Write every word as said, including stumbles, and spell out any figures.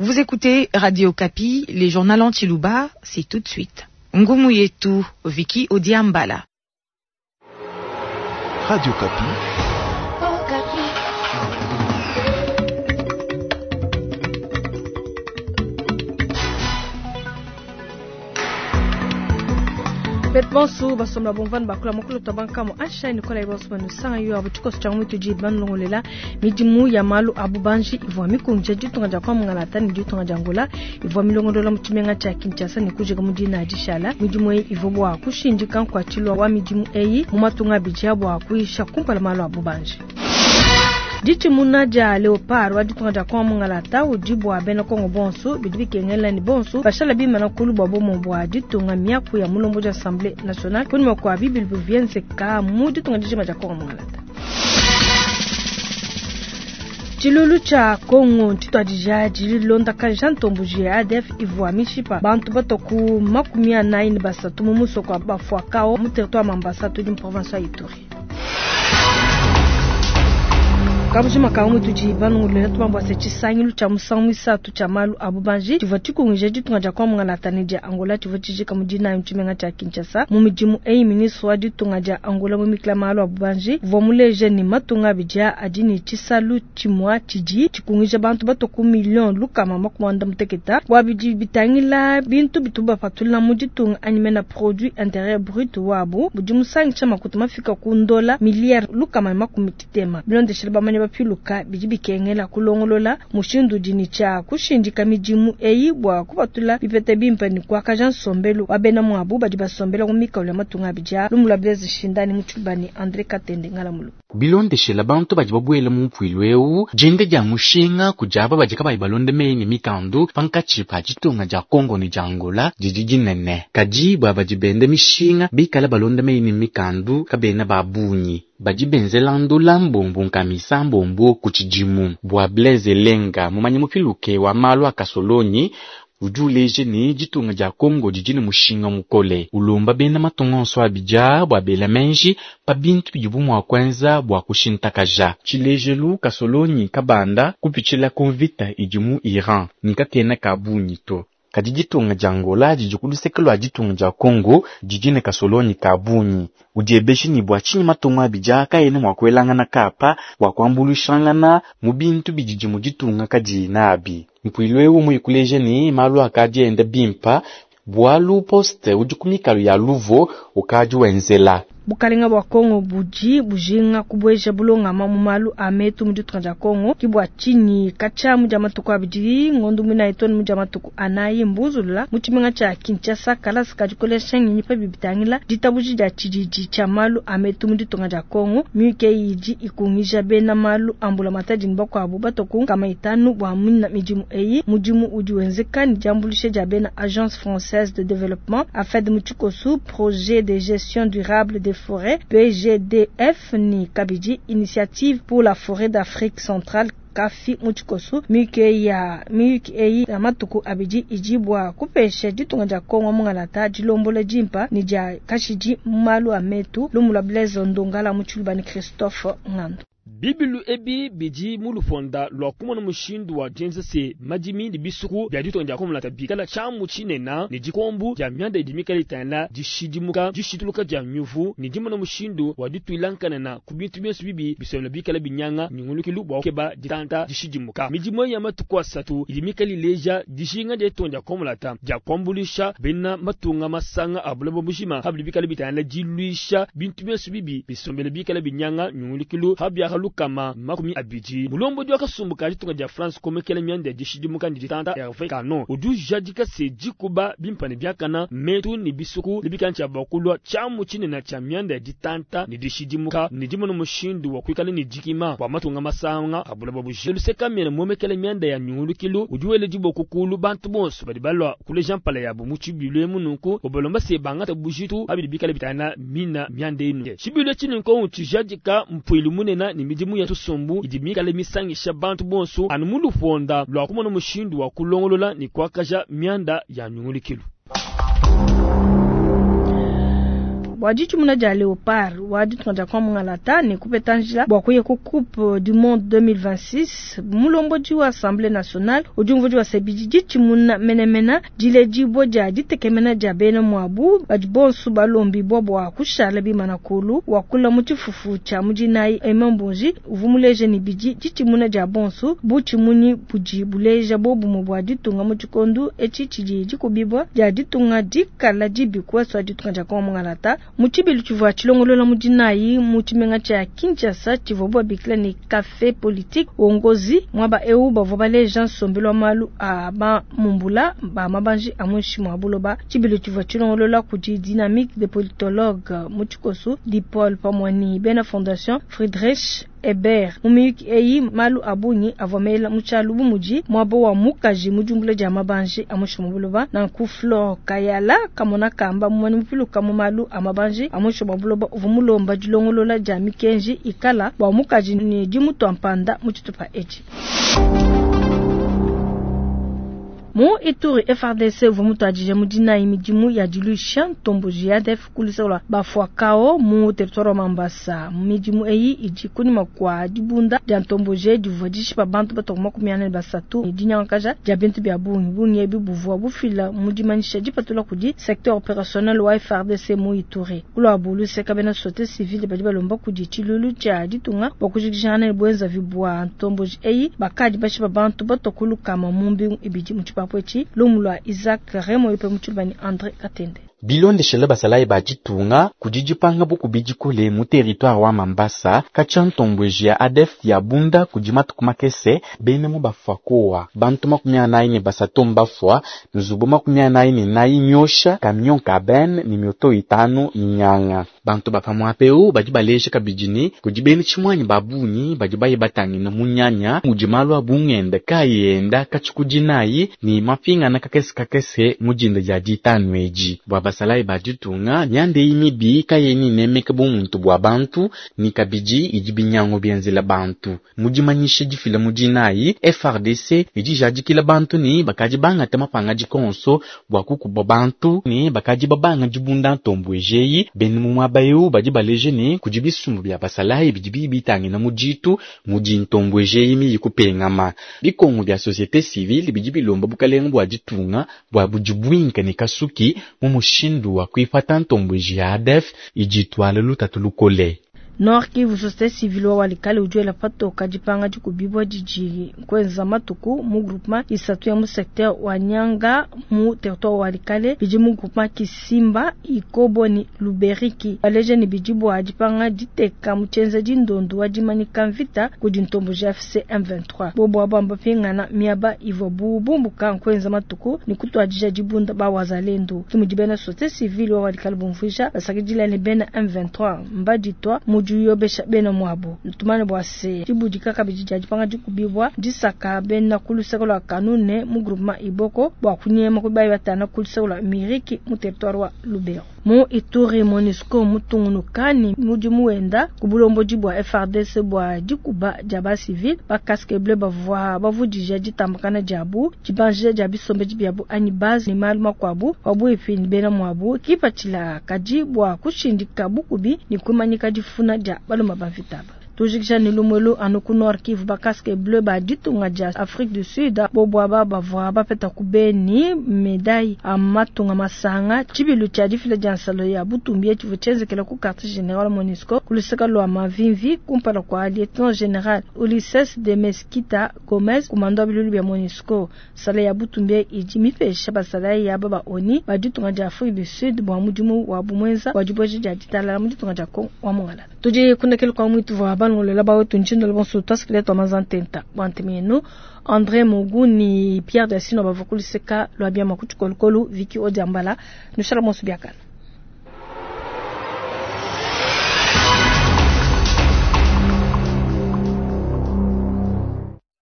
Vous écoutez Radio Okapi, les journaux en tshiluba, c'est tout de suite. Ngumu yetu, Vicky Odiambala. Radio Okapi. Betu bonsu basomba bomvana bakula mukulu tabankamu asha nikola ibonso banusanga yo abu tshikoso tshia mutu ji banlongolela midimu ya malu abu banji ivua mikunja ditunga dia kwa mungalata ne ditunga dia Angola ivua milongolola mu tshimenga tshia Kinshasa ne kujika mu dina dishala midimu eyi ivua bua kushindika nkuatshilwa wa midimu eyi mu matunga abidi bua kuyisha kumpala malu abu banji. Ditshimuna dia Leopard wa ditunga dia kwa mungalata udi bua bena Kongo bonso bidi bikengela ni bonso bashala bimana kulu bua bomo bua ditunga miaku ya mulombo dia Assemblée nationale kunyuma kwa bibili bivyenzeka mu ditunga dijima dia Kongo mungalata. Tshilulu tshia Kongo ntshituadija dilondakaja Jean Tombuji ya A D F ivua mishipa bantu batoku makumi anayi ne basatu mu musoko wa Bafuakao mu territoire Mambasa tudi mu province ya Ituri. Kabujima ka umu tudi banungulela tubambwa se tshisangilu tshia musangu muisatu tshia malu a bubanji tshivua tshikungije ditunga dia kwa mungalata ne dia Angola tshivua tshijika mu dinayi mu tshimenga tshia Kinshasa. Mu midimu eyi ministre wa ditunga dia Angola mu mikila malu a bubanji uvua muleje ne matunga abidi adi ne tshisalu tshimua tshidi tshikungije bantu batoku million lukama makumi muanda muteketa bua bidi bitangila bintu bitu bapatula mu ditunga anyi mena produit intérieur brut wabu budi musangisha makuta mafika ku ndola milliard lukama makumi titema bilondeshela bamanya bapiluka bidi bikengela kulongolola mushindu dini tshia kushindika midimu eyi bua kupatula bipete bimpe ne kuakaja nsombelu wa bena muabu badi basombela mu mikalo ya matunga abidi a lumbu lua Blaise Shindani mu Tshibani André Katende Ngalamulu. Bilondeshela bantu badi babuela mu mpuilu eu dienda dia mushinga kudi aba badi kabayi balonde meyi ne mikandu pankatshi pa ditunga dia Kongo ne dia Angola didi dinene. Kadi bua badi benda mishinga bikala balonde meyi ne mikandu kabena ba bungi. Badi benzela ndula mbombo nkamisa mbombo ku tshidimu. Bua Blaise Lenga mumanyi mupiluke wa malu a kasolonyi udi uleje ne ditunga dia Kongo didi ne mushinga mukole. Ulomba bena matunga onso abidi bua bela menji pa bintu bidibu mua kuenza bua kushintakaja. Tshilejelu kasolonyi kabanda kupitshila ku mvita idi mu Iran ne kakena ka bungi to. Kadi ditunga dia Angola didi ku luseke lua ditunga dia Kongo didi ne kasolonyi ka bungi. Udiebeje ne bua tshinyi matunga abidi kaena mua kuelangana kapa bua kuambuluishangana mu bintu bididi mu ditunga kadiyi nabi. Mpuilu eu muyikuleje ne malu akadi enda bimpa bualu poste udi ku mikalo ya Luvo ukadi wenzela. Bukalenga bua Kongo budi bujinga kubueja bulongama mu malu a metu mu ditunga dia Kongo ki bua tshinyi katshia mu dia matuku abidi ngondo muinayi too ne mu dia matuku anayi mbuzulula mu tshimenga tshia Kinshasa kalasa ka dikolesha ngenyi pa bibitangila ditabuji dia tshididi tshia malu a metu mu ditunga dia Kongo miyuki eyi idi ikungija bena malu a mbulamatadi ne bakuabu batoku nkama itanu bua mina midimu eyi. Mudimu udi wenzeka ne diambuluisha dia bena Agence Française de Développement A F E D mu tshikosu projet de gestion durable des forêts P G D F ni kabidi Initiative pour la forêt d'Afrique centrale Kafi mu tshikosu miyuki ya miyuki eyi ya matuku abidi idi bua kupesha ditunga dia Kongo mungalata dilombola dimpa ne dia kashidi mu malu a metu lumu lua Blaise Ndongala mu tshiluba ne Christophe Ngando. Bibilu ebi bidi mu luponda lua kumona mushindu wa dienza se madimi ne bisuku bia ditunga dia Kongo mulata bikala tshiamu tshinena ne dikombu dia mianda idi mikale itangila dishidimuka dishituluka dia miuvu ne dimona mushindu wa dituilankanana ku bintu bionso bibi bisomela bikala binyanga nyungulukilu bua kukeba ditanta dishidimuka. Midimu ya matuku asatu idi mikale ileja dijinga dia ditunga dia Kongo mulata dia kuambuluisha bena matunga masanga a buloba bujima habidi bikala bitangila diluisha bintu bionso bibi bisombela bikala binyanga nyungulukilu habia lukama makumi abidi. Mulombo wa kasumbu ka ditunga dia France komekela mianda ya dishidimuka ne ditanta Hervé Kano udi ujadika se dikuba bimpa ne biakana metu ne bisuku ne bikantsha bakulwa tshiamu tshinene tshia mianda ya ditanta ne dishidimuka ne dimona mushindu wa kuikala ne dikima bua matunga masanga a buloba bujima. Luseka miena momekela mianda ya nyungulukilu udi wela diboko kulu bantu bonso badi balua kuleja mpala yabo mu tshibilu emu nunku obalomba se bangata bujitu abidi bikala bitana mina mianda enu. Tshibilu tshinenko tshijadika mpuilu munene ne midimu ya tusumbu idi mikale misangisha bantu bonso anu mu luponda lua kumona mushindu wa kulongolola ne kuakaja mianda ya nyungulukilu. Bua ditshimuna dia Leopard wa ditunga dia Kongo mungalata ne kupeta njila bua kuya ku Coupe du Monde deux mille vingt-six, mulombodi wa Assemblée nationale udi umvuija wa se bidi ditshimuna menemene diledibua dia ditekemena dia bena muabu badi bonso balombibua bua kushala bimana kulu. Wakula mu tshifufu tshia mudinayi Aimé Mbonji uvua muleja ne bidi ditshimuna dia bonso butshimunyi budi buleja bobumwe bua ditunga mu tshikondo etshi tshidi dikubibua dia ditunga dikala dibi kuesu ditunga dia Kongo mungalata. Mu tshibilu tshivua tshilongolola mudinayi mu tshimenga tshia Kinshasa tshivua babikila ne café politique wongozi mwaba eu bavua baleja nsombelu wa malu a ba mumbula ba mabanji a muinshi mua buloba. Tshibilu tshivua tshilongolola kudi dynamique de politologue mu tshikoso di Paul Pamwani bena fondation Friedrich Ebert. Mu miyuki eyi malu a bungi avua mela mu tshialu bu mudi muaba wa mukaji mu diumbula dia mabanji a muinshi mua buloba. Nanku Flore Kayala kamona kamba mumani mupiluka mu malu a mabanji a muinshi mua buloba uvua mulomba dilongolola dia mikenji ikala bua mukaji ne dimutua mpanda mu tshitupa etshi. Mu Ituri F R D C uvua mutuadije mu dinayi midimu ya diluisha ntomboji ya A D F kuluseka bafuakao mu territoire wa Mambasa. Midimu eyi idi kunyima kua dibunda dia ntomboji divua dishipa bantu batoka makumi ane ne basatu ne dinyangakaja dia bintu bia bungi. Bungi ebi buvua bufila mu dimanyisha dipatula kudi secteur opérationnel wa F R D C mu Ituri. Kulwabu luseka bena société civile badi balomba kudi tshilulu tshia ditunga bua kujikijangana ne buenzavi bua ntomboji eyi bakadi bashipa bantu batoka lukama mu mbingu ibidi mu tshipapu etshi. Lumu lwa Isaac Remo yupe mu tshilubani André Katende. Bilondeshele basalayi ba ditunga kudi dipanga bukubi dikole mu territoire wa Mambasa katshia ntombweji ya A D F ya bunda kudi matuku makese bena mu bafakowa bantu makumi anayi ne basatu mbafwa nzubu makumi anayi ne nayi nyosha camion cabine ni mioto itanu minyanga. Bantu ba pamwapeu badi baleja kabidi ne kudi bena tshimwanyi ba bungi badi baye batangina munyanya mudi malu a bungenda kayenda katshikudinayi ni mapingana kakese kakese mujinda dia ditanu edi. Bua basalayi ba ditunga mianda eyi mibi kayena inemeka bumuntu bua bantu ni kabidi idi binyango bienzela bantu. Mudimanyisha difila mudinayi F R D C idi jadikila bantu ni bakadi bangata mapanga dikonso bua kukuba bantu ni bakadi babanga dibunda ntombwejeyi benu mu muaba eu badi baleje ni kudi bisumbu bia basalayi bidi bibitangina mu ditu mudi ntombwejeyi miyi kupengama. Bikongo bia société civile bidi bilomba bukalenga bua ditunga bua budi bwinka ne kasuki mu mushindu wa kuipata ntombweji ya A D F idi itwala lutatu lukole. Nord Kivu société civile wa Walikale ujuela patoka dipanga dikubibwa didi kwenza matuku mu groupement isatu ya mu secteur wa Nyanga mu territoire wa Walikale bidi mu groupement Kisimba Ikobo ni Luberiki baleje ni bidi bwa dipanga diteka mu tshienza dindondo wa dimanika mvita kudi ntombo G F C M vingt-trois bobo abamba pingana miaba ivo bubumbuka kwenza matuku ni kutwadija dibunda ba wazalendo kimudi bena société civile wa Walikale bumvuija basakidila ne bena M vingt-trois mbaditwa mu yobesha bena mwabo ntumane bwa se dibudika kabidi dia dipanga dikubibwa disaka bena kuluseka lwa kanune mu groupement Iboko bwa kunyema kubayi batana kuluseka lwa Miriki mu territoire wa Lubero. Mu Ituri MONUSCO mutungunukani mudimu wenda kubulombo bwa F R D C bwa dikuba dia ba civil ba casque bleu bavua bavudija ditambakana diabu dibanja dia bisombe dibiabu anyi base ni malu makwabu wabu ipini bena mwabu kipatshila kadi bwa kushindika bukubi ni kumanyika difuna dia baloma ba mvitaba. Tujikisha ni lumwelu anu ku Nord Kivu ba casque bleu ba ditunga dia Afrique du Sud bobo aba bavua bapeta ku Beni médaille a matunga masanga tshibilu tshia difila dia nsalo ya butumbi tshivua tshienzekela ku quartier général MONUSCO ku luseka lwa Mavimvi kumpala kwa lieutenant général Ulisses de Mesquita Gomez commandant bilulu bia MONUSCO. Sala ya butumbi idi mipesha basala ya baba oni ba ditunga dia Afrique du Sud bwa mudimu wa bumwenza wa diboje dia ditalala mu ditunga dia Kongo wa Mongala. Tudi kunekele kwa mwitu wa banu lola ba wetu ntshindo lo bonso twasikile twa mazantenta bwantemenu André Moguni Pierre Dassino bavakuliseka lwa bia makutu kolokolo Vicky Odiambala nushala monso biakana.